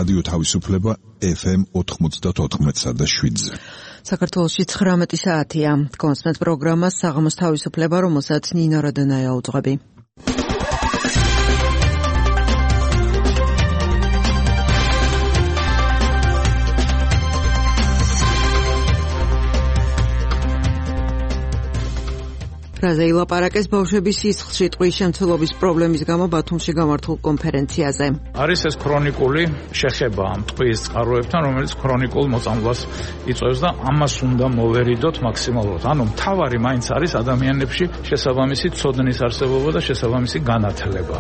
რადიო თავისუფლება FM 94.7-ზე. საქართველოში 19 საათია. კონსმეთ პროგრამა საღამოს თავისუფლება, რომელსაც ნინო როდონაია უძღვები. რაზე ილაპარაკეს ბავშვების სისხლში ტყვის შემცველობის პრობლემის გამო ბათუმში გამართულ კონფერენციაზე. არის ეს ქრონიკული შეხება ამ ტყვის წყაროებთან, რომელიც ქრონიკულ მოწამვლას იწვევს და ამას უნდა მოვერიდოთ მაქსიმალურად. ანუ მთავარი მაინც არის ადამიანებში შესაბამისი ცოდნის არსებობა და შესაბამისი განათლება.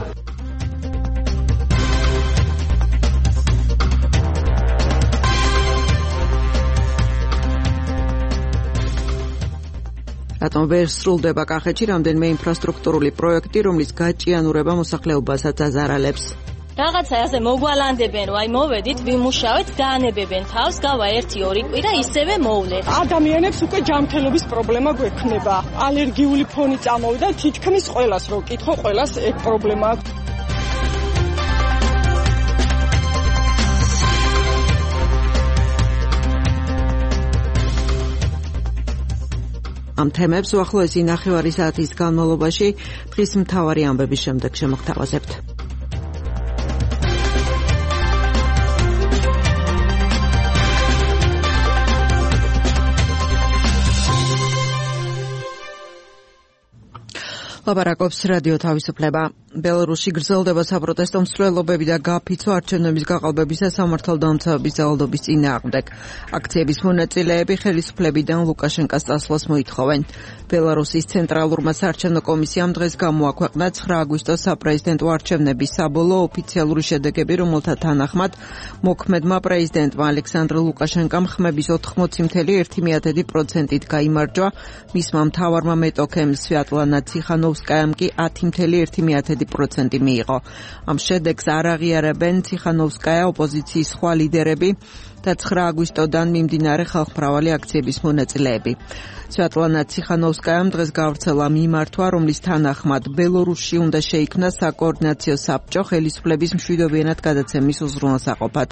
რატომ ვერ სრულდება კახეთში რამდენიმე ინფრასტრუქტურული პროექტი, რომლის გაჭიანურება მოსახლეობასაც აზარალებს. რაღაცა ასე მოგვალანდებენ, რომ აი მოვედით, ვიმუშავეთ, დაანებებენ თავს, გავა 1-2 კვირა ისევე მოვლეთ. ადამიანებს უკვე ჯანმრთელობის პრობლემა გვექნება. ალერგიული ფონი წამოვიდა, თითქმის ყველას რო კითხო, ყველას ეგ პრობლემა აქვს. ამ თემებს უახლოესი ნახევარი საათის განმავლობაში დღის მთავარი ამბების შემდეგ შემოგთავაზებთ. ლაპარაკობს რადიო თავისუფლება. ბელარუსში გრძელდება საპროტესტო მსვლელობები და გაფიცვა არჩევნების გაყალბების და სამართალდამცავების ძალადობის წინააღმდეგ. აქციების მონაწილეები ხელისუფლებიდან ლუკაშენკას წასვლას მოითხოვენ. ბელარუსის ცენტრალურმა საარჩევნო კომისიამ დღეს გამოაქვეყნა 9 აგვისტოს საპრეზიდენტო არჩევნების საბოლოო ოფიციალური შედეგები, რომელთა თანახმად მოქმედმა პრეზიდენტმა ალექსანდრ ლუკაშენკამ ხმების 80.1%-ით გაიმარჯვა, მისმა მთავარმა მეტოქემ სვიატლანა ციხანოვსკაიამ კი 10.1% მიიღო. ამ შედეგს არ აღიარებენ ციხანოვსკაია, ოპოზიციის სხვა ლიდერები და 9 აგვისტოდან მიმდინარე ხალხმრავალი აქციების მონაწილეები. სვიატლანა ციხანოვსკაიამ დღეს გავრცელა მიმართვა, რომლის თანახმად ბელარუსში უნდა შეიქმნას საკოორდინაციო საბჭო ხელისუფლების მშვიდობიანად გადაცემის უზრუნველსაყოფად.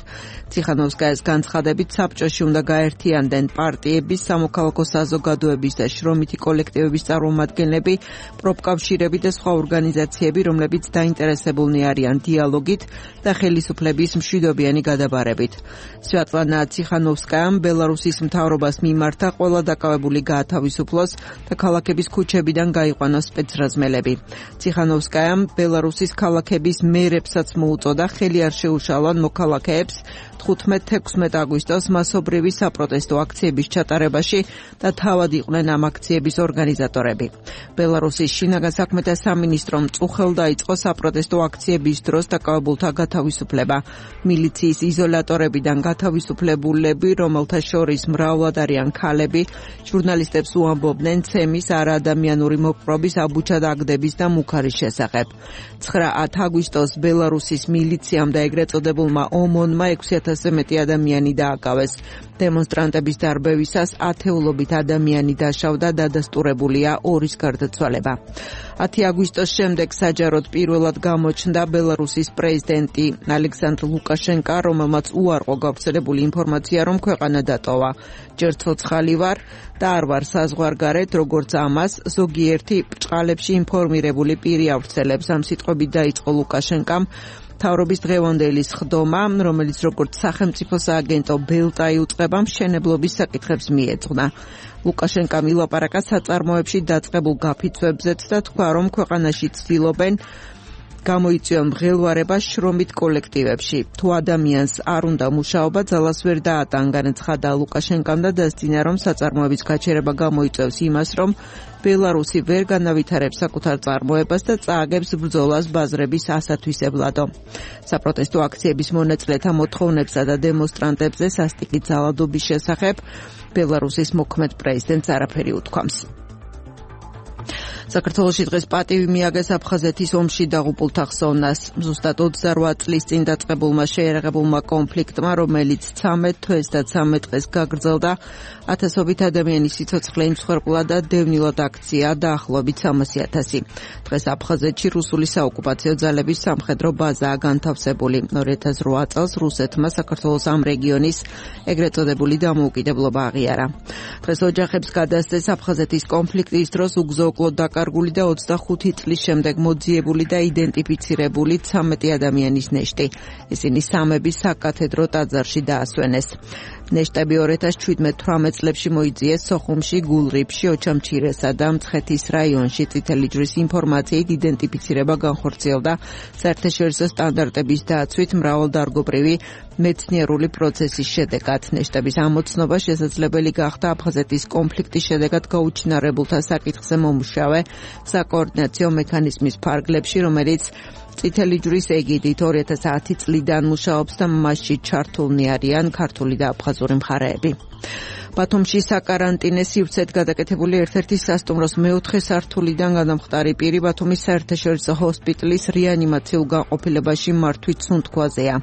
ციხანოვსკაიას განცხადებით, საბჭოში უნდა გაერთიანდნენ პარტიების, სამოქალაქო საზოგადოების და შრომითი კოლექტივების წარმომადგენლები, პროფკავშირები და სხვა ორგანიზაციები, რომლებიც დაინტერესებულნი არიან დიალოგით და ხელისუფლების მშვიდობიანი გადაბარებით. სვიატლანა ციხანოვსკაიამ ბელარუსის მთავრობას მიმართა ყველა დაკავებული გაათავისუფლოს და ქალაქების ქუჩებიდან გაიყვანოს სპეცრაზმელები. ციხანოვსკაიამ ბელარუსის ქალაქების მერებსაც მოუწოდა ხელი არ შეუშალონ მოქალაქეებს 15-16 აგვისტოს მასობრივი საპროტესტო აქციების ჩატარებაში და თავად იყვნენ ამ აქციების ორგანიზატორები. ბელარუსის შინაგან საქმეთა სამინისტრომ წუხელ დაიწყო საპროტესტო აქციების დროს დაკავებულთა გათავისუფლება. მილიციის იზოლატორებიდან გათავისუფლებულები, რომელთა შორის მრავლად არიან ქალები, ჟურნალისტებს უამბობდნენ ცემის არაადამიანური მოპყრობის, აბუჩადაგდების და მუქარის შესახებ. 9 აგვისტოს ბელარუსის მილიციამ და ეგრეთ წოდებულმა ომონმა 6,000-ზე მეტი ადამიანი დააკავეს. დემონსტრანტების დარბევისას ათეულობით ადამიანი დაშავდა, დადასტურებულია 2-ის გარდაცვალება. 10 აგვისტოს შემდეგ საჯაროდ პირველად გამოჩნდა ბელარუსის პრეზიდენტი ალექსანდრ ლუკაშენკა, რომელმაც უარყო გავრცელებული ინფორმაცია, რომ ქვეყანა დატოვა. ჯერ ცოცხალი ვარ და არ ვარ საზღვარგარეთ, როგორც ამას ზოგიერთი ბრჭყალებში ინფორმირებული პირი ავრცელებს. ამ სიტყვებით დაიწყო ლუკაშენკამ მთავრობის დღევანდელი სხდომა, რომელიც როგორც სახელმწიფო სააგენტო ბელტა იუწყება, მშენებლობის საკითხებს მიეძღვნა. ლუკაშენკამ ილაპარაკა საწარმოებში დაწყებულ გაფიცვებზეც და თქვა, რომ ქვეყანაში ცდილობენ გამოიწვიონ მღელვარება შრომით კოლექტივებში. თუ ადამიანს არ უნდა მუშაობა, ძალას ვერ დაატან, განაცხადა ლუკაშენკამ და დასძინა, რომ საწარმოების გაჩერება გამოიწვევს იმას, რომ ბელარუსი ვერ განავითარებს საკუთარ წარმოებას და წააგებს ბრძოლას ბაზრების ასათვისებლადო. საპროტესტო აქციების მონაწილეთა მოთხოვნებსა და დემონსტრანტებზე სასტიკი ძალადობის შესახებ ბელარუსის მოქმედ პრეზიდენტს არაფერი უთქვამს. საქართველოში დღეს პატივი მიაგეს აფხაზეთის ომში დაღუპულთა ხსოვნას. ზუსტად 28 წლის წინ დაწყებულმა შეერაღებულმა კონფლიქტმა, რომელიც 13 თვეს და 13 დღეს გაგრძელდა, ათასობით ადამიანის სიცოცხლე იმსხვერპლა და დევნილად აქცია დაახლოებით 300,000. დღეს აფხაზეთში რუსული საოკუპაციო ძალების სამხედრო ბაზაა განთავსებული. 2008 წელს რუსეთმა საქართველოს ამ რეგიონის ეგრეთ წოდებული დამოუკიდებლობა აღიარა. დღეს ოჯახებს გადასცეს აფხაზეთის კონფლიქტის დროს უგზო-უკლოდ დაკარგული და 25 წლის შემდეგ მოძიებული და იდენტიფიცირებული 13 ადამიანის ნეშტი. ისინი სამების საკათედრო ტაძარში დაასვენეს. ნეშტები 2017-18 წლებში მოიძიეს სოხუმში, გულრიფში, ოჩამჩირესა და მცხეთის რაიონში. წითელი ჯვრის ინფორმაციით იდენტიფიცირება განხორციელდა საერთაშორისო სტანდარტების დაცვით მრავალდარგობრივი მეცნიერული პროცესის შედეგად. ნეშტების ამოცნობა შესაძლებელი გახდა აფხაზეთის კონფლიქტის შედეგად გაუჩინარებულთა საკითხზე მომუშავე საკოორდინაციო მექანიზმის ფარგლებში, რომელიც წითელი ჯვრის ეგიდით 2010 წლიდან მუშაობს და მასში ჩართულნი არიან ქართული და აფხაზური მხარეები. ბათუმში საკარანტინე სივრცედ გადაკეთებული ერთ-ერთი სასტუმროს მეოთხე სართულიდან გადამხტარი პირი ბათუმის საერთაშორისო ჰოსპიტალის რეანიმაციულ განყოფილებაში მართვის სუნთქვაზეა.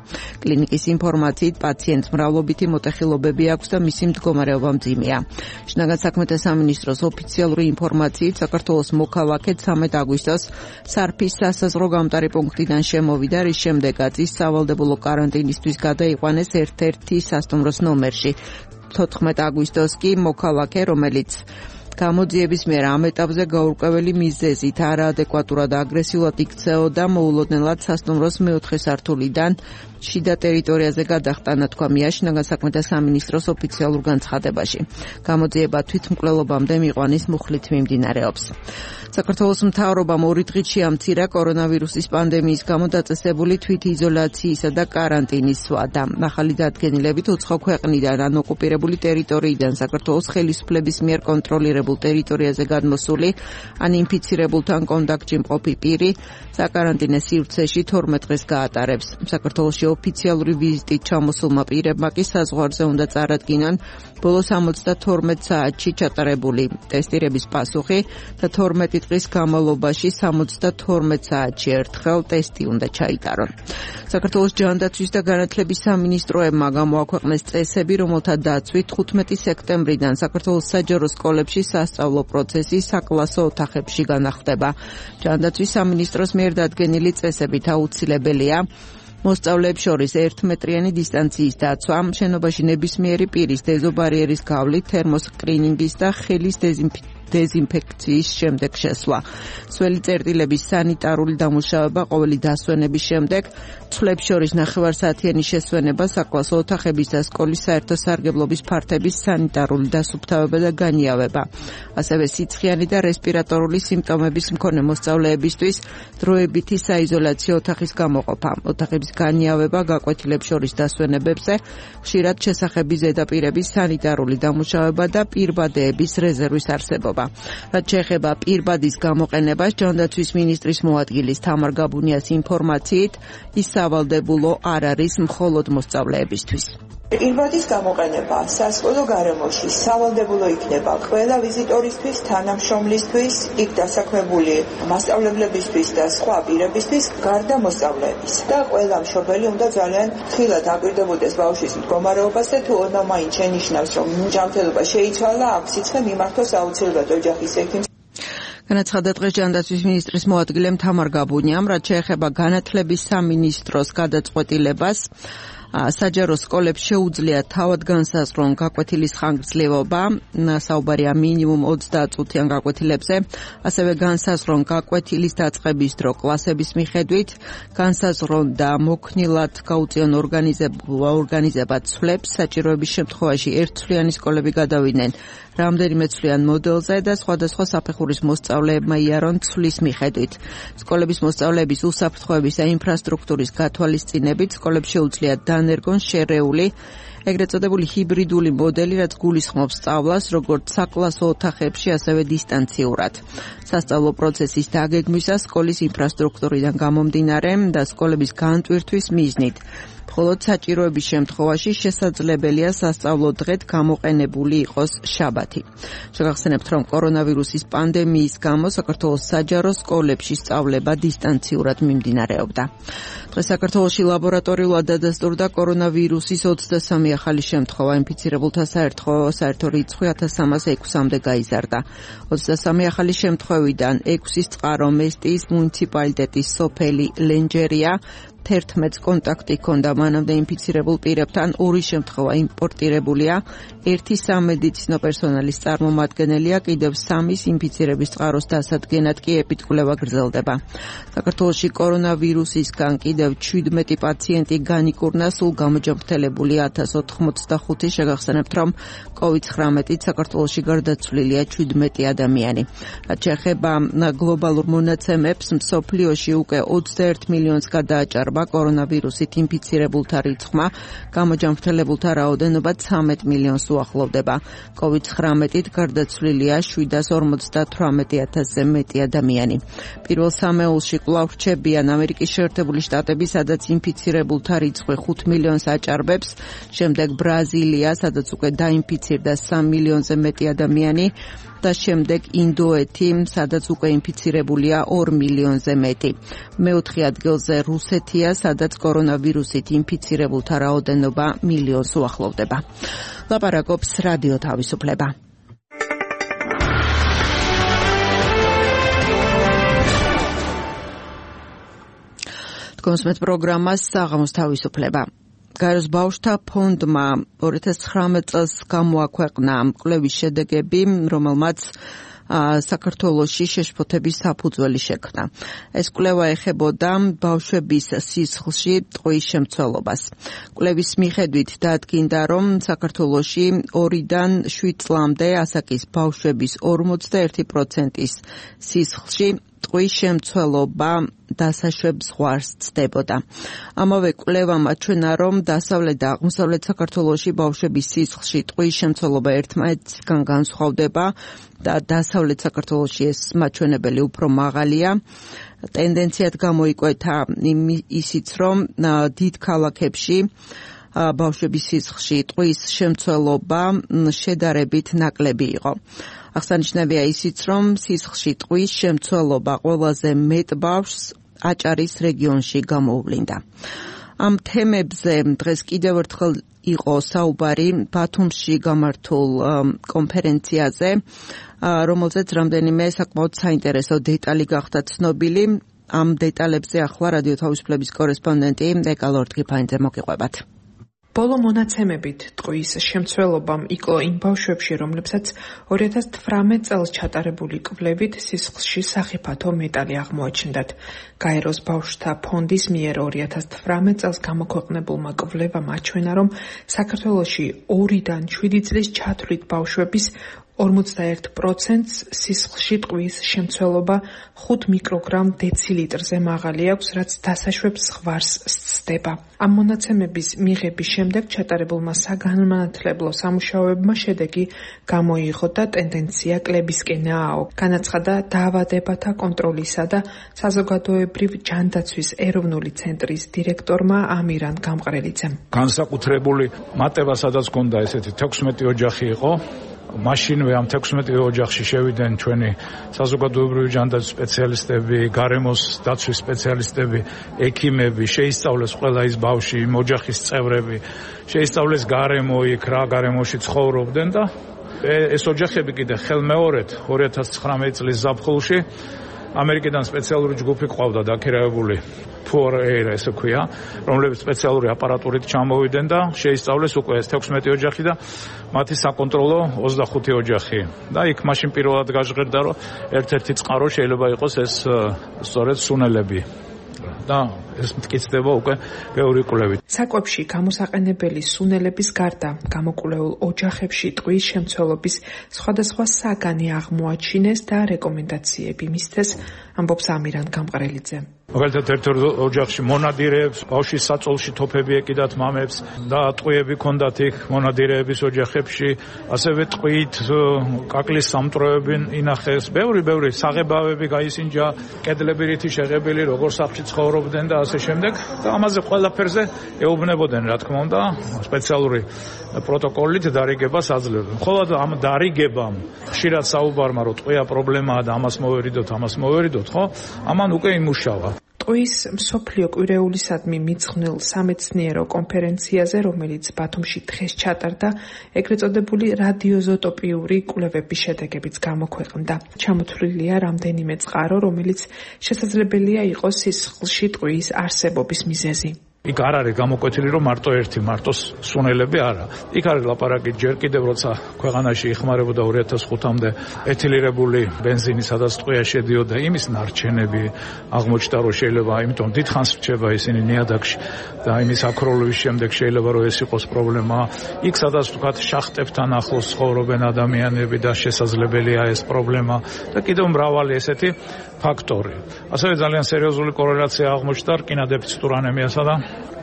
კლინიკის ინფორმაციით პაციენტს მრავლობითი მოტეხილობები აქვს და მისი მდგომარეობა მძიმეა. შინაგან საქმეთა სამინისტროს ოფიციალური ინფორმაციით საქართველოს მოქალაქე 13 აგვისტოს სარფის სასაზღვრო გამტარი პუნქტიდან შემოვიდა, რის შემდეგაც ის სავალდებულო კარანტინისთვის გადაიყვანეს ერთ-ერთი სასტუმროს ნომერში. 14 აგვისტოს კი მოქალაქე, რომელიც გამოძიების მერე ამ ეტაპზე გაურკვეველი მიზეზით არაადეკვატურად აგრესიულად იქცეოდა, მოულოდნელად სასტუმროს მეოთხე სართულიდან შიდა ტერიტორიაზე გადახტანა, თქვა შინაგან საქმეთა სამინისტროს ოფიციალურ განცხადებაში. გამოძიება თვითმკვლელობამდე მიყვანის მუხლით მიმდინარეობს. საქართველოს მთავრობამ 2 დღით შეამცირა კორონავირუსის პანდემიის გამო დაწესებული თვითიზოლაციისა და კარანტინის სვადა. ახალი დადგენილებით უცხო ქვეყნიდან ან ოკუპირებული ტერიტორიიდან საქართველოს ხელისუფლების მიერ კონტროლირებულ ტერიტორიაზე გადმოსული ან ინფიცირებულთან კონტაქტში მყოფი პირი საკარანტინე სივრცეში 12 დღეს გაატარებს. საქართველოში ოფიციალური ვიზიტით ჩამოსულმა პირებმა კი საზღვარზე უნდა წარადგინონ ბოლო 72 საათში ჩატარებული ტესტირების პასუხი და 12 დღის განმავლობაში 72 საათში ერთხელ ტესტი უნდა ჩაიტარონ. საქართველოს ჯანდაცვის და განათლების სამინისტროებმა გამოაქვეყნეს წესები, რომელთა დაცვით 15 სექტემბრიდან საქართველოს საჯარო სკოლებში სასწავლო პროცესი საკლასო ოთახებში განახდება. ჯანდაცვის სამინისტროს მიერ დადგენილი წესებით აუცილებელია მოსწავლეებს შორის 1 მეტრიანი დისტანციის დაცვა, შენობაში ნებისმიერი პირის დეზობარიერის გავლით, თერმოსკრინინგის და ხელის დეზინფექციის შემდეგ შესვლა. სველი წერტილების სანიტარული დამუშავება ყოველი დასვენების შემდეგ, ცვლებს შორის ნახევარსაათიანი შესვენება, საკლასო ოთახების და სკოლის საერთო სარგებლობის ფართების სანიტარული დასუფთავება და განიავება. ასევე სიცხიანი და რესპირატორული სიმპტომების მქონე მოსწავლეებისთვის დროებითი საიზოლაციო ოთახის გამოყოფა, ოთახების განიავება გაკვეთილებს შორის დასვენებებზე, ხშირად შესახების ზედაპირების სანიტარული დამუშავება და პირბადეების რეზერვის არსებობა. რაც შეეხება პირბადის გამოყენებას, ჯანდაცვის მინისტრის მოადგილის თამარ გაბუნიას ინფორმაციით, ის სავალდებულო არ არის მხოლოდ მოსწავლეებისთვის. პირბადის გამოყენება სასკოლო გარემოში სავალდებულო იქნება ყველა ვიზიტორისთვის, თანამშრომლისთვის, იქ დასაქმებული მასწავლებლებისთვის და სხვა პირებისთვის, გარდა მოსწავლეების. და ყველა მშობელი უნდა ძალიან ხილად აკვირდებოდეს ბავშვის მდგომარეობას და თუ ოდნავ მაინც შენიშნავს, რომ ჯანმრთელობა შეიცვალა, აქ სიცხე მიმართოს აუცილებლად ოჯახის ექიმს. განაცხადა დღეს ჯანდაცვის მინისტრის მოადგილემ თამარ გაბუნიამ, რაც შეეხება განათლების სამინისტროს გადაწყვეტილებას. საჯარო სკოლებს შეუძლია თავად განსაზღვრონ გაკვეთილის ხანგრძლივობა, საუბარია მინიმუმ 20 წუთიან გაკვეთილებზე, ასევე განსაზღვრონ გაკვეთილის დაწყების დრო კლასების მიხედვით, განსაზღვრონ და მოქნილად გაუწიონ ორგანიზებად ცვლებს, საჭიროების შემთხვევაში ერთთვლიანი სკოლები გადავიდნენ რამდენიმე ცვლიან მოდელზე და სხვადასხვა საფეხურის მოსწავლეებმა იარონ ცვლის მიხედვით. სკოლების მოსწავლეების უსაფრთხოების და ინფრასტრუქტურის გათვალისწინებით სკოლებს შეუძლიათ დანერგონ შერეული ეგრეთ წოდებული ჰიბრიდული მოდელი, რაც გულისხმობს სწავლას როგორც საკლასო ოთახებში, ასევე დისტანციურად. სასწავლო პროცესის დაგეგმვისას სკოლის ინფრასტრუქტურიდან გამომდინარე და სკოლების განტვირთვის მიზნით მხოლოდ საჭიროების შემთხვევაში შესაძლებელია სასწავლო დღედ გამოყენებული იყოს შაბათი. შეგახსენებთ, რომ კორონავირუსის პანდემიის გამო საქართველოს საჯარო სკოლებში სწავლება დისტანციურად მიმდინარეობდა. დღეს საქართველოში ლაბორატორიულად დადასტურდა კორონავირუსის 23 ახალი შემთხვევა, ინფიცირებულთა საერთო რიცხვი 1306-მდე გაიზარდა. 23 ახალი შემთხვევიდან 6-ის წყარო მესტიის მუნიციპალიტეტის სოფელი ლენჯერია, 11 კონტაქტი ჰქონდა მანამდე ინფიცირებულ პირებთან, 2 შემთხვევა იმპორტირებულია, 1 სამედიცინო პერსონალის წარმომადგენელია, კიდევ 3-ის ინფიცირების წყაროს დასადგენად კი ეპიდკვლევა გრძელდება. საქართველოში კორონავირუსისგან კიდევ 17 პაციენტი განიკურნა, სულ გამოჯანმრთელებული 1085. შეგახსენებთ, რომ COVID-19-ით საქართველოში გარდაცვლილია 17 ადამიანი. რაც შეეხება გლობალურ მონაცემებს, მსოფლიოში უკვე 21 მილიონს გადააჭარბა კორონავირუსით ინფიცირებულთა რიცხვმა, გამოჯანმრთელებულთა რაოდენობა 13 მილიონს უახლოვდება. COVID-19-ით გარდაცვლილია 758,000-ზე მეტი ადამიანი. პირველ სამეულში კვლავ რჩებიან ამერიკის შეერთებული შტატები, სადაც ინფიცირებულთა რიცხვი 5 მილიონს აჭარბებს, შემდეგ ბრაზილია, სადაც უკვე დაინფიცირდა 3 მილიონზე მეტი ადამიანი და შემდეგ ინდოეთი, სადაც უკვე ინფიცირებულია 2 მილიონზე მეტი. მეოთხე ადგილზე რუსეთია, სადაც კორონავირუსით ინფიცირებულთა რაოდენობა მილიონს უახლოვდება. ლაპარაკობს რადიო თავისუფლება. თქვენს პროგრამას საღამოს თავისუფლება. გაეროს ბავშვთა ფონდმა 2019 წელს გამოაქვეყნა კვლევის შედეგები, რომელმაც საქართველოში შეშფოთების საფუძველი შექმნა. ეს კვლევა ეხებოდა ბავშვების სისხლში ტყუის შემცველობას. კვლევის მიხედვით დადგინდა, რომ საქართველოში 2-დან 7 წლამდე ასაკის ბავშვების 41%-ის სისხლში ტყუის შემცველობა დასაშვებ ზღვარს ცდებოდა. ამავე კვლევამ აჩვენა, რომ დასავლეთ და აღმოსავლეთ საქართველოში ბავშვების სისხლში ტყუის შემცველობა ერთმანეთისგან განსხვავდება და დასავლეთ საქართველოში ეს მაჩვენებელი უფრო მაღალია. ტენდენციად გამოიკვეთა ისიც, რომ დიდ ქალაქებში ბავშვების სისხლში ტყუის შემცველობა შედარებით ნაკლები იყო. აღსანიშნავია ისიც, რომ სისხლში ტყუის შემცველობა ყველაზე მეტ ბავშვს აჭარის რეგიონში გამოუვლინდა. ამ თემებზე დღეს კიდევ ერთხელ იყო საუბარი ბათუმში გამართულ კონფერენციაზე, რომელზეც რამდენიმე საკმაოდ საინტერესო დეტალი გახდა ცნობილი. ამ დეტალებზე ახლა რადიო თავისუფლების კორესპონდენტი ეკა ლორდგიფაინძე მოგიყვებათ. ბოლო მონაცემებით ტყუის შემცველობამ იკლო იმ ბავშვებში, რომლებსაც 2018 წელს ჩატარებული კვლევით სისხლში სახიფათო მეტალი აღმოაჩნდათ. გაეროს ბავშვთა ფონდის მიერ 2018 წელს გამოქვეყნებულმა კვლევამ აჩვენა, რომ საქართველოში 2-დან 7 წლის ჩათვლით ბავშვების 41%-ს სისხლში ტყუის შემცველობა 5 მიკროგრამ დეცილიტრზე მაღალი აქვს, რაც დასაშვებს ზღვარს სცდება. ამ მონაცემების მიღების შემდეგ ჩატარებულმა საგანმანათლებლო სამუშაოებმა შედეგი გამოიღო და ტენდენცია კლებისკენაა. განაცხადა დაავადებათა კონტროლისა და საზოგადოებრივ ჯანდაცვის ეროვნული ცენტრის დირექტორმა ამირან გამყრელიძემ. განსაკუთრებული მატება, სადაც ჰქონდა ესეთი 16 ოჯახი იყო. მაშინვე ამ 16 ოჯახში შევიდნენ ჩვენი საზოგადოებრივი ჯანდაცვის სპეციალისტები, გარემოს დაცვის სპეციალისტები, ექიმები, შეისწავლეს ყველა ის ბავშვი, იმ ოჯახის წევრები, შეისწავლეს გარემო, იქ რა გარემოში ცხოვრობდნენ და ეს ოჯახები კიდე ხელმეორედ 2019 წლის ზაფხულში ამერიკიდან სპეციალური ჯგუფი ყავდა დაქირავებული ფორეირა ესე ქვია, რომლებიც სპეციალური აპარატურით ჩამოვიდნენ და შეისწავლეს უკვე ეს 16 ოჯახი და მათი საკონტროლო 25 ოჯახი. და იქ მაშინ პირველად გაჟღერდა, რომ ერთ-ერთი წყარო შეიძლება იყოს ეს სწორედ სუნელები. და ეს მტკიცდება უკვე ბევრი კვლევით. საკვებში გამოსაყენებელი სუნელების გარდა გამოკვლეულ ოჯახებში ტყუის შემცველობის სხვადასხვა საგანი აღმოაჩინეს და რეკომენდაციები მისცეს, ამბობს ამირან გამყრელიძე. მაგალითად ერთ ოჯახში მონადირეებს, ბავშვის საწოლში თოფები ეკიდათ მამებს და ტყვიები ჰქონდათ იქ მონადირეების ოჯახებში, ასევე ტყვით კაკლის სამტროები ინახეს, ბევრი საღებავები გაისინჯა, კედლები რითი შეღებილი, როგორ სახლში ცხოვრობდნენ და ასე შემდეგ. და ამაზე ყველაფერზე ეუბნებოდნენ, რა თქმა უნდა, სპეციალური პროტოკოლით დარიგებას აძლევდნენ. ხოლო ამ დარიგებამ ხშირად საუბარმა რომ ტყვია პრობლემაა და ამას მოვერიდოთ, ხო? ამან უკვე იმუშავა. ტყვის მსოფლიო კვირეულისადმი მიძღვნილ სამეცნიერო კონფერენციაზე, რომელიც ბათუმში დღეს ჩატარდა, ეგრეთ წოდებული რადიოზოტოპიური კვლევების შედეგებიც გამოქვეყნდა. ჩამოთვლილია რამდენიმე წყარო, რომელიც შესაძლებელია იყოს სისხლში ტყვის არსებობის მიზეზი. იქ არ არის გამოკვეთილი რომ მარტო სუნელები არა. იქ არის ლაპარაკი ჯერ კიდევ როცა ქვეყანაში იხმარებოდა 2005-მდე ეთილირებული ბენზინი, სადაც ტყვია შედიოდა, იმის ნარჩენები აღმოჩნდა რომ შეიძლება, იმიტომ დიდხანს რჩება ისინი ნიადაგში და იმის აქროლვის შემდეგ შეიძლება რომ ეს იყოს პრობლემა. იქ სადაც თქვათ შახტებთან ახლოს ცხოვრობენ ადამიანები და შესაძლებელია ეს პრობლემა და კიდევ მრავალი ესეთი ფაქტორი. ასევე ძალიან სერიოზული კორელაცია აღმოჩნდა რკინა-დეფიციტურ ანემიასა და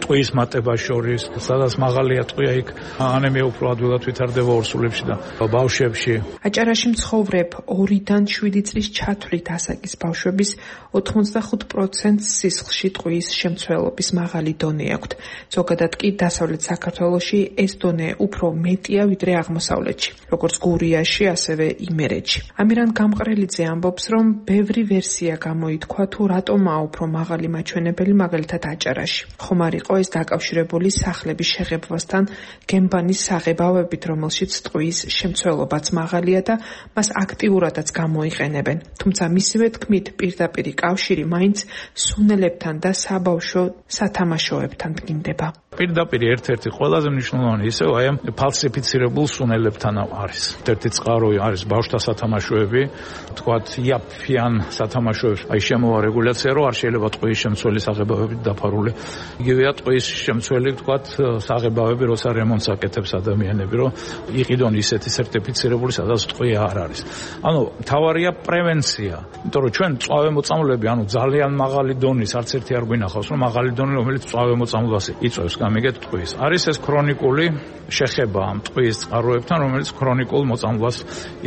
ტყვის მატებას შორის, სადაც მაღალია ტყვია, იქ ანემია უფრო ადვილად ვითარდება ორსულებში და ბავშვებში. აჭარაში მცხოვრებ 2-დან 7 წლის ჩათვლით ასაკის ბავშვების 85% სისხლში ტყვის შემცველობის მაღალი დონე აქვთ. ზოგადად კი დასავლეთ საქართველოში ეს დონე უფრო მეტია ვიდრე აღმოსავლეთში, როგორც გურიაში, ასევე იმერეთში. ამირან გამყრელიძე ამბობს, რომ ბევრი ვერსია გამოითქვა თუ რატომაა უფრო მაღალი მაჩვენებელი მაგალითად აჭარაში. ხომ არ იყო ეს დაკავშირებული სახლების შეღებვასთან, გემბანის საღებავებით, რომელშიც ტყვის შემცველობაც მაღალია და მას აქტიურადაც გამოიყენებენ. თუმცა მისივე თქმით, პირდაპირი კავშირი მაინც სუნელებთან და საბავშვო სათამაშოებთან დგინდება. პირდაპირ ერთ-ერთი ყველაზე მნიშვნელოვანი ისევ აი ამ ფალსიფიცირებულ სუნელებთან არის. ერთ-ერთი წყარო არის ბავშვთა სათამაშოები, თქვათ იაფიან სათამაშოებს, აი შემოვა რეგულაცია, რომ არ შეიძლება ტყვის შემცველი საღებავებით დაფარული. იგივეა ტყვის შემცველი, თქვათ, საღებავები, როცა რემონტს აკეთებს ადამიანები, რომ იყიდონ ისეთი სერტიფიცირებული, სადაც ტყვია არ არის. ანუ მთავარია პრევენცია. იმიტომ რომ ჩვენ წვავემოწამლები, ანუ ძალიან მაღალი დონის, არც ერთი არ გვინახავს, რომ მაღალი დონე, რომელიც წვავემოწამლობას იწვევს, გამიგეთ ტყვის. არის ეს ქრონიკული შეხება ამ ტყვის წყაროებთან, რომელიც ქრონიკულ მოწამლობას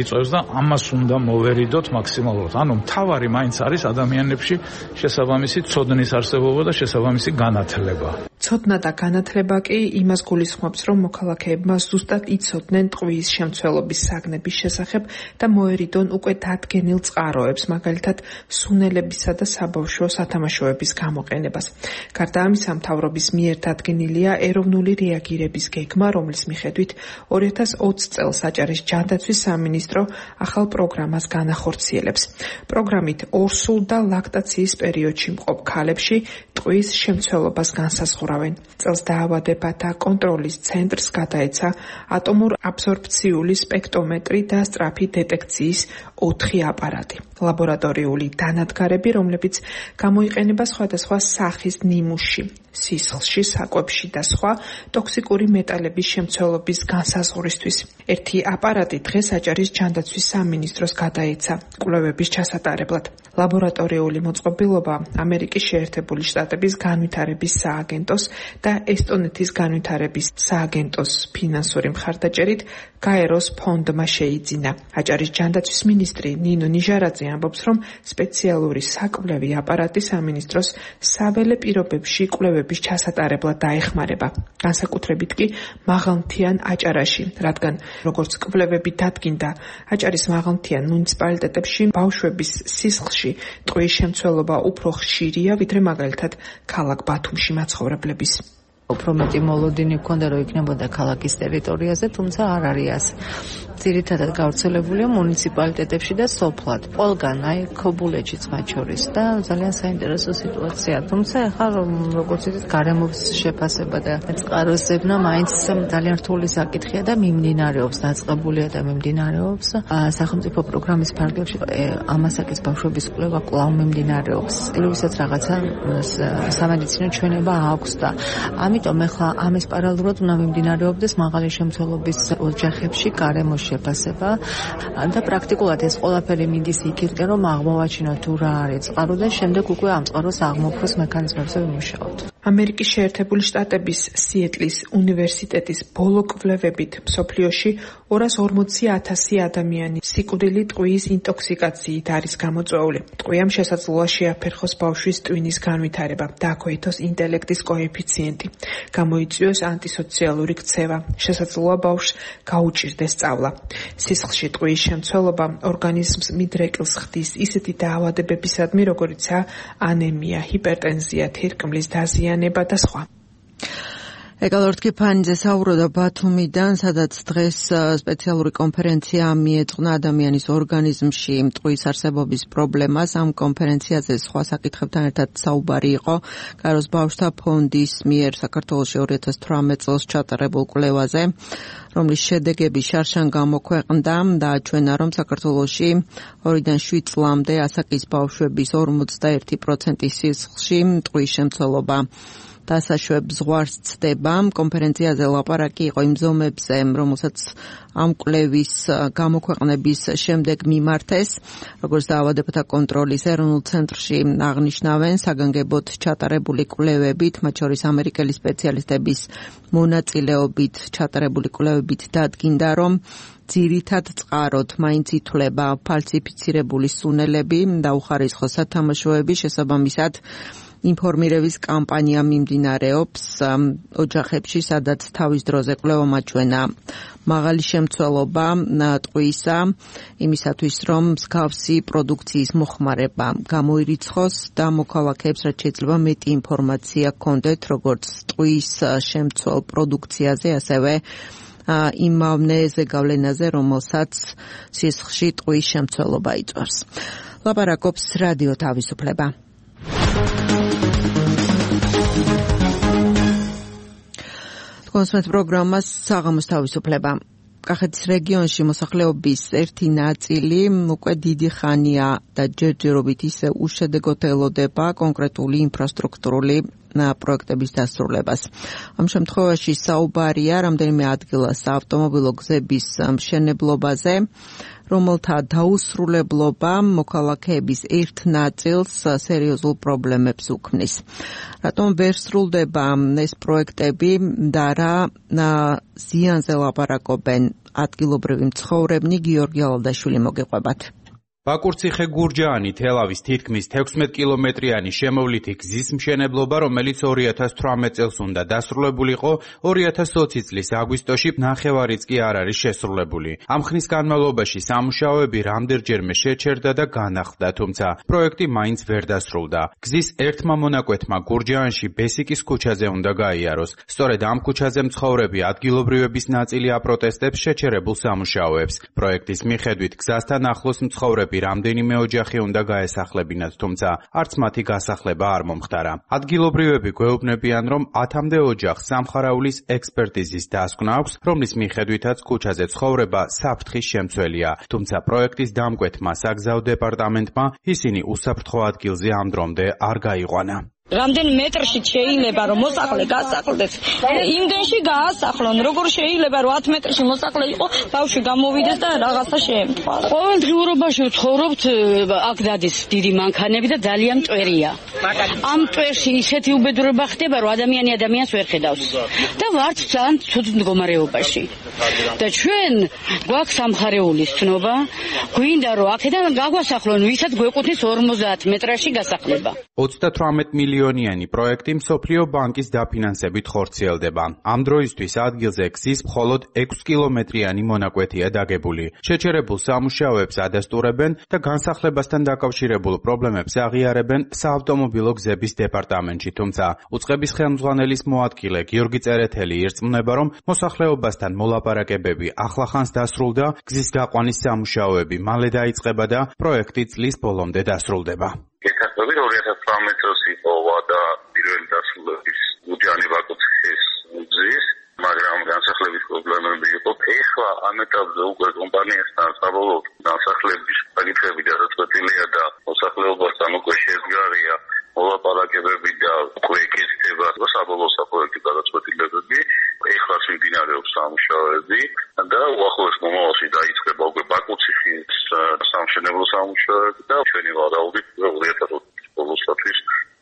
იწვევს და ამას უნდა მოვერიდოთ მაქსიმალურად. ანუ მთავარი მაინც არის ადამიანებში შესაბამისი ცოდნის არსებობა და შესაბამისი განათლება. ცოდნა და განათლება კი იმას გულისხმობს, რომ მოქალაქეებმა ზუსტად იცოდნენ ტყვის შემცველობის საგნების შესახებ და მოერიდონ უკვე დადგენილ წყაროებს, მაგალითად სუნელებისა და საბავშვო სათამაშოების გამოყენებას. გარდა ამისა, მთავრობის მიერ დადგენილია ეროვნული რეაგირების გეგმა, რომლის მიხედვით 2020 წელს აჭარის ჯანდაცვის სამინისტრო ახალ პროგრამას განახორციელებს. პროგრამით ორსულ და ლაქტაციის პერიოდში მყოფ ქალებში ტყვის შემცველობას განსაზღვრავენ. წელს დაავადებათა კონტროლის ცენტრს გადაეცა ატომურ აბსორბციული სპექტრომეტრი და სწრაფი დეტექციის 4 აპარატი. ლაბორატორიული დანადგარები, რომლებიც გამოიყენება სხვადასხვა სახის ნიმუშში, სისხლში, საკვებში და სხვა ტოქსიკური მეტალების შემცველობის განსაზღვრისთვის. ერთი აპარატი დღეს აჭარის ჯანდაცვის სამინისტროს გადაეცა კვლევების ჩასატარებლად. ლაბორატორიული მოწყობილობა ამერიკის შეერთებული შტატების განვითარების სააგენტოს და ესტონეთის განვითარების სააგენტოს ფინანსური მხარდაჭერით გაეროს ფონდმა შეიძინა. აჭარის ჯანდაცვის მინისტრი ნინო ნიჟარაძე ამბობს, რომ სპეციალური საკვლევი აპარატი სამინისტროს საველე პირობებში კვლევების ჩასატარებლად დაეხმარება. განსაკუთრებით კი მაღალმთიან აჭარაში, რადგან როგორც კვლევები დადგინდა, აჭარის მაღალმთიან მუნიციპალიტეტებში ბავშვების სისხლში ტყვის შემცველობა უფრო ხშირია, ვიდრე მაგალითად ქალაქ ბათუმში მაცხოვრებლების. უფრო მეტი მოლოდინი ჰქონდა, რომ იქნებოდა ქალაქის ტერიტორიაზე, თუმცა არ არის ასე. ძირითადად გავრცელებულია მუნიციპალიტეტებში და სოფლად. ყველგან, აი ქობულეთშიც მათ შორის და ძალიან საინტერესო სიტუაცია. თუმცა ახლა როგორც იცით, გარემოს შეფასება და წყაროსებნა მაინც ძალიან რთული საკითხია და მიმდინარეობს, დაწყებულია და მიმდინარეობს. სახელმწიფო პროგრამის ფარგლებში ამასაკის ბავშვების კვლევა კვლავ მიმდინარეობს. ვისაც რაღაცა სამედიცინო ჩვენება აქვს და ამით ამიტომ ახლა ამის პარალელურად უნდა მიმდინარეობდეს მაღალი შემცველობის ოჯახებში გარემოს შეფასება და პრაქტიკულად ეს ყველაფერი მიდის იქით, რომ აღმოვაჩინოთ თუ რა არის წყარო და შემდეგ უკვე ამ წყაროს აღმოფხვის მექანიზმებზე ვიმუშაოთ. ამერიკის შეერთებული შტატების სიეტლის უნივერსიტეტის ბოლო კვლევებით მსოფლიოში 240,000 ადამიანი სიკვდილი ტყვიის ინტოქსიკაციით არის გამოწვეული. ტყვიამ შესაძლოა შეაფერხოს ბავშვის ტვინის განვითარება, დააქვეითოს ინტელექტის კოეფიციენტი, გამოიწვიოს ანტისოციალური ქცევა, შესაძლოა ბავშვს გაუჭირდეს სწავლა. სისხლში ტყვიის შემცველობა ორგანიზმს მიდრეკილს ხდის ისეთი დაავადებებისადმი, როგორიცაა ანემია, ჰიპერტენზია, თირკმლის დაზიანება და სხვა. ეკალორთკი ფანიძე საუბრობდა ბათუმიდან, სადაც დღეს სპეციალური კონფერენცია მიეძღვნა ადამიანის ორგანიზმში ტყვის არსებობის პრობლემას. ამ კონფერენციაზე სხვა საკითხებთან ერთად საუბარი იყო კაროს ბავშვთა ფონდის მიერ საქართველოში 2018 წელს ჩატარებულ კვლევაზე, რომლის შედეგები შარშან გამოქვეყნდა და აჩვენა, რომ საქართველოში 2-დან 7 წლამდე ასაკის ბავშვების 41% სისხლში ტყვის შემცველობა დასაშვებ ზღვარს ცდება. კონფერენციაზე ლაპარაკი იყო იმ ზომებზე, რომელსაც ამ კვლევის გამოქვეყნების შემდეგ მიმართეს, როგორც დაავადებათა კონტროლის ეროვნულ ცენტრში აღნიშნავენ, საგანგებოდ ჩატარებული კვლევებით, მათ შორის ამერიკელი სპეციალისტების მონაწილეობით ჩატარებული კვლევებით დადგინდა, რომ ძირითად წყაროდ მაინც ითვლება ფალსიფიცირებული სუნელები და უხარისხო სათამაშოები. შესაბამისად ინფორმირების კამპანია მიმდინარეობს ოჯახებში, სადაც თავის დროზე კვლევამ აჩვენა მაღალი შემცველობა ტყვიისა, იმისათვის რომ მსგავსი პროდუქციის მოხმარება გამოირიცხოს და მოქალაქეებს რაც შეიძლება მეტი ინფორმაცია ჰქონდეთ როგორც ტყვის შემცველ პროდუქციაზე, ასევე იმავე ზეგავლენაზე, რომელსაც სისხლში ტყვის შემცველობა იწვევს. ლაპარაკობს რადიო თავისუფლება. კონსუმენტ პროგრამას საღამოს თავისუფლება. კახეთის რეგიონში მოსახლეობის ერთი ნაწილი უკვე დიდი ხანია და ჯერჯერობით ისე უშედეგოდ ელოდება კონკრეტული ინფრასტრუქტურული პროექტების დასრულებას. ამ შემთხვევაში საუბარია რამდენიმე ადგილას ავტომობილო გზების მშენებლობაზე, რომელთა დაუსრულებლობა მოქალაქეების ერთ ნაწილს სერიოზულ პრობლემებს უქმნის. რატომ ვერ სრულდება ეს პროექტები და რა ზიანზე ლაპარაკობენ ადგილობრივი მცხოვრებნი? გიორგი ალადაშვილი მოგეყვებათ. ბაკურციხე გურჯაანი თელავის თითქმის 16 კილომეტრიანი შემოვლითი გზის მშენებლობა, რომელიც 2018 წელს უნდა დასრულებულიყო, 2020 წლის აგვისტოში ნახევარიც კი არ არის შესრულებული. ამ ხნის განმავლობაში სამუშაოები რამდენჯერმე შეჩერდა და განახლდა, თუმცა პროექტი მაინც ვერ დასრულდა. გზის ერთმა მონაკვეთმა გურჯაანში ბესიკის ქუჩაზე უნდა გაიაროს. სწორედ ამ ქუჩაზე მცხოვრები ადგილობრივების ნაწილი აპროტესტებს შეჩერებულ სამუშაოებს. პროექტის მიხედვით გზასთან ახლოს მცხოვრები რამდენიმე ოჯახი უნდა გაესახლებინათ, თუმცა არც მათი გასახლება არ მომხდარა. ადგილობრივები გვეუბნებიან, რომ 10-მდე ოჯახს სამხარაულის ექსპერტიზის დასკვნა აქვს, რომლის მიხედვითაც ქუჩაზე ცხოვრება საფრთხის შემცველია, თუმცა პროექტის დამკვეთმა საგზაო დეპარტამენტმა ისინი უსაფრთხო ადგილზე ამ დრომდე არ გაიყვანა. რამდენ მეტრში შეიძლება რომ მოსახლე გასახლდეს, იმდენში გაასახლონ. როგორ შეიძლება რომ 10 მეტრში მოსახლე იყო, ბავშვი გამოვიდეს და რაღაცა შეემთხვა. ყოველდღიურობაში ვცხოვრობთ, აქ დადის დიდი მანქანები და ძალიან მტვერია. ამ მტვერში ისეთი უბედურება ხდება, რომ ადამიანი ადამიანს ვერ ხედავს და ვართ ძალიან ცუდ მდგომარეობაში. და ჩვენ გვაქვს სამხარეულის ცნობა, გვინდა რომ აქედან გაგვასახლონ, ვისაც გვეკუთვნის 50 მეტრში გასახლება. 38 მილიონიანი პროექტი მსოფლიო ბანკის დაფინანსებით ხორციელდება. ამ დროისთვის ადგილზე გზის მხოლოდ 6 კილომეტრიანი მონაკვეთია დაგებული. შეჩერებულ სამუშაოებს ადასტურებენ და განსახლებასთან დაკავშირებულ პრობლემებს აღიარებენ საავტომობილო გზების დეპარტამენტში, თუმცა უწყების ხელმძღვანელის მოადგილე გიორგი წერეთელი ირწმუნება, რომ მოსახლეობასთან მოლაპარაკებები ახლახანს დასრულდა, გზის გაყვანის სამუშაოები მალე დაიწყება და პროექტი წლის ბოლომდე დასრულდება. გეთახმებით 2018 წელს იყო ვადა პირველი დასრულების გურჯაანი ბაკურციხის გზის, მაგრამ განსახლების პრობლემები იყო. ეხლა ამ ეტაპზე უკვე კომპანიასთან საბოლოოდ განსახლების საკითხები გადაწყვეტილია და მოსახლეობასთან უკვე შეზღარია მოლაპარაკებები და უკვე ეკეთება საბოლოო საპროექტო გადაწყვეტილება. პროექტი და ჩვენი ვარაუდით 2020 ბოლოსთვის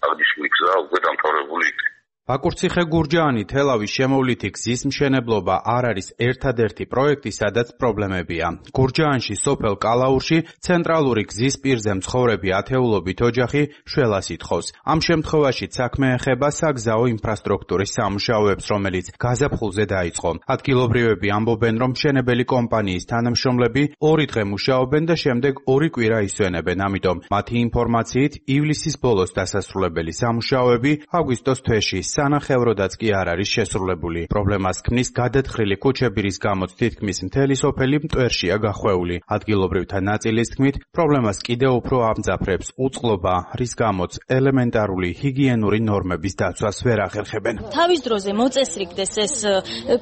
აღნიშნული გზა უკვე დამთავრებული იქნება. ბაკურციხე-გურჯაანი თელავის შემოვლითი გზის მშენებლობა არ არის ერთადერთი პროექტი, სადაც პრობლემებია. გურჯაანში სოფელ კალაურში ცენტრალური გზის პირზე მცხოვრები ათეულობით ოჯახი შველას ითხოვს. ამ შემთხვევაშიც საქმე ეხება საგზაო ინფრასტრუქტურის სამუშაოებს, რომელიც გაზაფხულზე დაიწყო. ადგილობრივები ამბობენ, რომ მშენებელი კომპანიის თანამშრომლები 2 დღე მუშაობენ და შემდეგ 2 კვირა ისვენებენ. ამიტომ მათი ინფორმაციით ივლისის ბოლოს დასასრულებელი სამუშაოები აგვისტოს თვეში სანახევროდაც კი არ არის შესრულებული. პრობლემას ქმნის გადათხრილი ქუჩები, რის გამოც თითქმის მთელი სოფელი მტვერშია გახვეული. ადგილობრივთა ნაწილის თქმით, პრობლემას კიდევ უფრო ამძაფრებს უწყლობა, რის გამოც ელემენტარული ჰიგიენური ნორმების დაცვას ვერ ახერხებენ. თავის დროზე მოწესრიგდეს ეს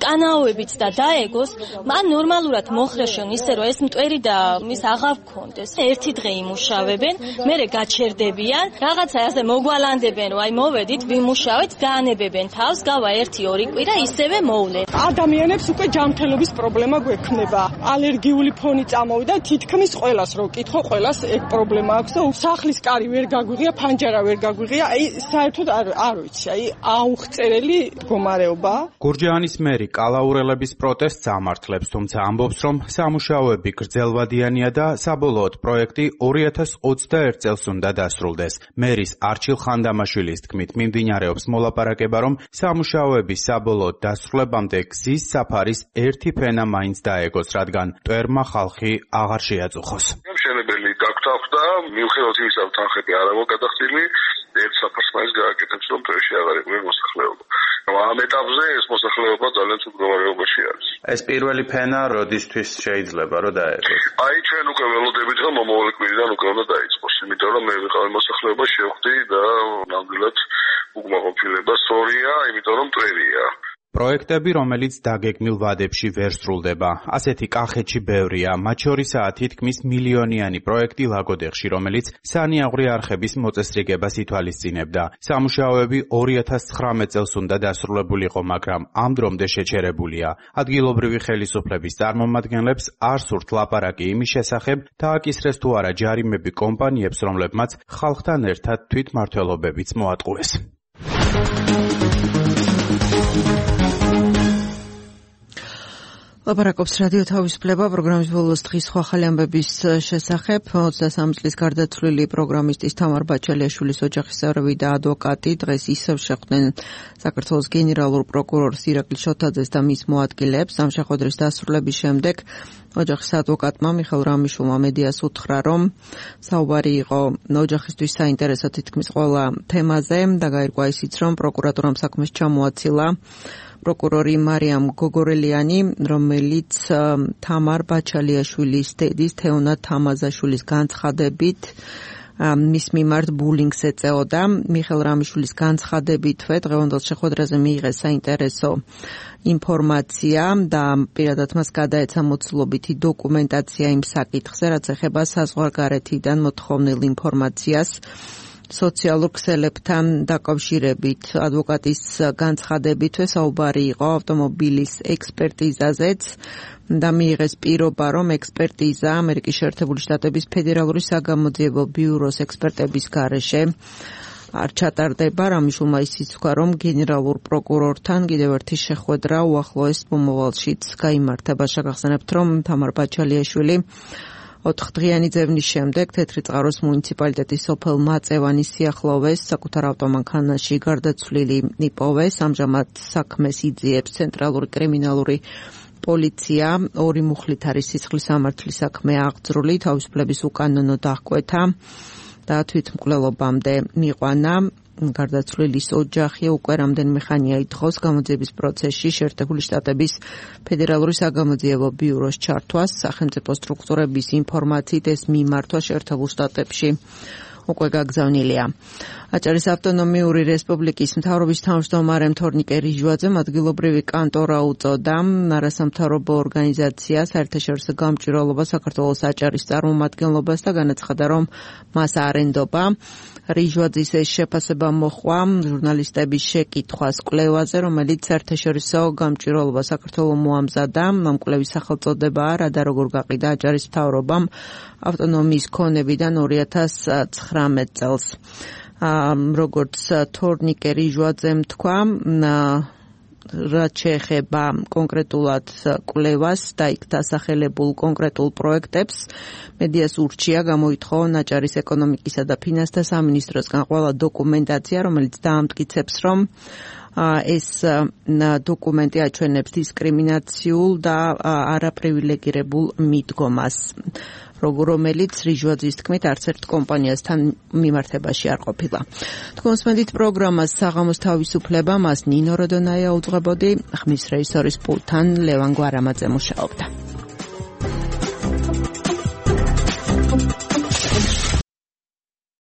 კანაოებიც და დაეგოს, მან ნორმალურად მოხრეშონ ისე რომ ეს მტვერი და მის აღარ გქონდეს. ერთი დღე იმუშავებენ, მერე გაჩერდებიან, რაღაცა ასე მოგვალანდებენ, რომ აი მოვედით, ვიმუშავეთ, განებებენ თავს, გავა 1-2 კვირა ისევე მოვლენ. ადამიანებს უკვე ჯანმრთელობის პრობლემა გვექნება. ალერგიული ფონი წამოვიდა, თითქმის ყველას რო კითხო, ყველას ეგ პრობლემა აქვს და სახლის კარი ვერ გაგვიღია, ფანჯარა ვერ გაგვიღია. აი საერთოდ არ ვიცი, აი აუღწერელი მდგომარეობა. გურჯაანის მერი კალაურელების პროტესტს ამართლებს, თუმცა ამბობს, რომ სამუშაოები გრძელვადიანია და საბოლოოდ პროექტი 2021 წელს უნდა დასრულდეს. მერის არჩილ ხანდამაშვილის თქმით, მიმდინარეობს მოლაპარაკება, რომ სამუშაოების საბოლოოდ დასრულებამდე გზის საფარის ერთი ფენა მაინც დაეგოს, რადგან მტვერმა ხალხი აღარ შეაწუხოს. მშენებელი დაგთავდა, მიუხედავად იმისა, რომ თანხები არ აქვს გადახდილი, ერთ საფარს მაინც გააკეთებს, რომ მტვერში აღარ იყვნენ მოსახლეობა. ამ ეტაპზე ეს მოსახლეობა ძალიან ცუდ მდგომარეობაში არის. ეს პირველი ფენა როდისთვის შეიძლება რომ დაეგოს? აი ჩვენ უკვე ველოდებით, რომ მომავალ კვირიდან უკვე უნდა დაიწყოს, იმიტომ რომ მე ვიყავი მოსახლეობა შევხვდი და ნამდვილად უკმაყოფილება სწორია, იმიტომ რომ მტვერია. პროექტები, რომელიც დაგეგმილ ვადებში ვერ სრულდება. ასეთი კახეთში ბევრია, მათ შორისაა თითქმის მილიონიანი პროექტი ლაგოდეხში, რომელიც სანიაღვრე არხების მოწესრიგებას ითვალისწინებდა. სამუშაოები 2019 წელს უნდა დასრულებულიყო, მაგრამ ამ დრომდე შეჩერებულია. ადგილობრივი ხელისუფლების წარმომადგენლებს არ სურთ ლაპარაკი იმის შესახებ, დააკისრეს თუ არა ჯარიმები კომპანიებს, რომლებმაც ხალხთან ერთად თვითმმართველობებიც მოატყუეს. ლაპარაკობს რადიო თავისუფლება პროგრამის ბოლოს დღის სხვა ახალი ამბების შესახებ. 23 წლის გარდაცვლილი პროგრამისტის თამარ ბაჩალიაშვილის ოჯახის წევრები და ადვოკატი დღეს ისევ შეხვდნენ საქართველოს გენერალურ პროკურორს ირაკლი შოთაძეს და მის მოადგილეებს. ამ შეხვედრის დასრულების შემდეგ ოჯახის ადვოკატმა მიხეილ რამიშულმა მედიას უთხრა, რომ საუბარი იყო ოჯახისთვის საინტერესო თითქმის ყველა თემაზე და გაირკვა ისიც, რომ პროკურატურამ საქმეს ჩამოაცილა პროკურორი მარიამ გოგორელიანი, რომელიც თამარ ბაჩალიაშვილის დედის თეონა თამაზაშვილის განცხადებით მის მიმართ ბულინგს ეწეოდა. მიხეილ რამიშვილის განცხადებითვე დღევანდელ შეხვედრაზე მიიღეს საინტერესო ინფორმაცია და პირადად მას გადაეცა მოცულობითი დოკუმენტაცია იმ საკითხზე, რაც ეხება საზღვარგარეთიდან მოთხოვნილ ინფორმაციას სოციალურ ქსელებთან დაკავშირებით. ადვოკატის განცხადებითვე საუბარი იყო ავტომობილის ექსპერტიზაზეც და მიიღეს პირობა, რომ ექსპერტიზა ამერიკის შეერთებული შტატების ფედერალური საგამოძიებო ბიუროს ექსპერტების გარეშე არ ჩატარდება. რამიშულმა ისიც თქვა, რომ გენერალურ პროკურორთან კიდევ ერთი შეხვედრა უახლოეს მომავალშიც გაიმართება. შეგახსენებთ, რომ თამარ ბაჩალიაშვილი 4 დღიანი ძევნის შემდეგ თეთრი წყაროს მუნიციპალიტეტის სოფელ მაწევანის სიახლოვეს საკუთარ ავტომანქანაში გარდაცვლილი იპოვეს. ამჟამად საქმეს იძიებს ცენტრალური კრიმინალური პოლიცია. 2 მუხლით არის სისხლის სამართლის საქმე აღძრული, თავისუფლების უკანონო დახკვეთა და თვითმკვლელობამდე მიყვანა. გარდაცვლილის ოჯახი უკვე რამდენიმე ხანია ითხოვს გამოძიების პროცესში შეერთებული შტატების ფედერალური საგამოძიებო ბიუროს ჩართვას. სახელმწიფო სტრუქტურების ინფორმაციით ეს მიმართვა შეერთებულ შტატებში უკვე გაგზავნილია. აჭარის ავტონომიური რესპუბლიკის მთავრობის თავმჯდომარემ თორნიკე რიჟვაძემ ადგილობრივი კანტორა უწოდა არასამთავრობო ორგანიზაცია საერთაშორისო გამჭვირვალობა საქართველოს აჭარის წარმომადგენლობას და განაცხადა, რომ მას არ ენდობა. რიჟვაძის ეს შეფასება მოჰყვა ჟურნალისტების შეკითხვას კვლევაზე, რომელიც საერთაშორისო გამჭვირვალობა საქართველოს მოამზადა. ამ კვლევის სახელწოდებაა რა და როგორ გაყიდა აჭარის მთავრობამ ავტონომიის ქონებიდან 2019 წელს. როგორც თორნიკე რიჟვაძემ თქვა, რაც შეეხება კონკრეტულად კვლევას და იქ დასახელებულ კონკრეტულ პროექტებს, მედიას ურჩია გამოითხოვონ აჭარის ეკონომიკისა და ფინანსთა სამინისტროსგან ყველა დოკუმენტაცია, რომელიც დაამტკიცებს, რომ ეს დოკუმენტი აჩვენებს დისკრიმინაციულ და არაპრივილეგირებულ მიდგომას, რომელიც რიჟვაძის თქმით არც ერთ კომპანიასთან მიმართებაში არ ყოფილა. თქვენსმენდით პროგრამას საღამოს თავისუფლება, მას ნინო როდონაია უძღვებოდი, ხმის რეჟისორის პულტთან ლევან გვარამაძე მუშაობდა.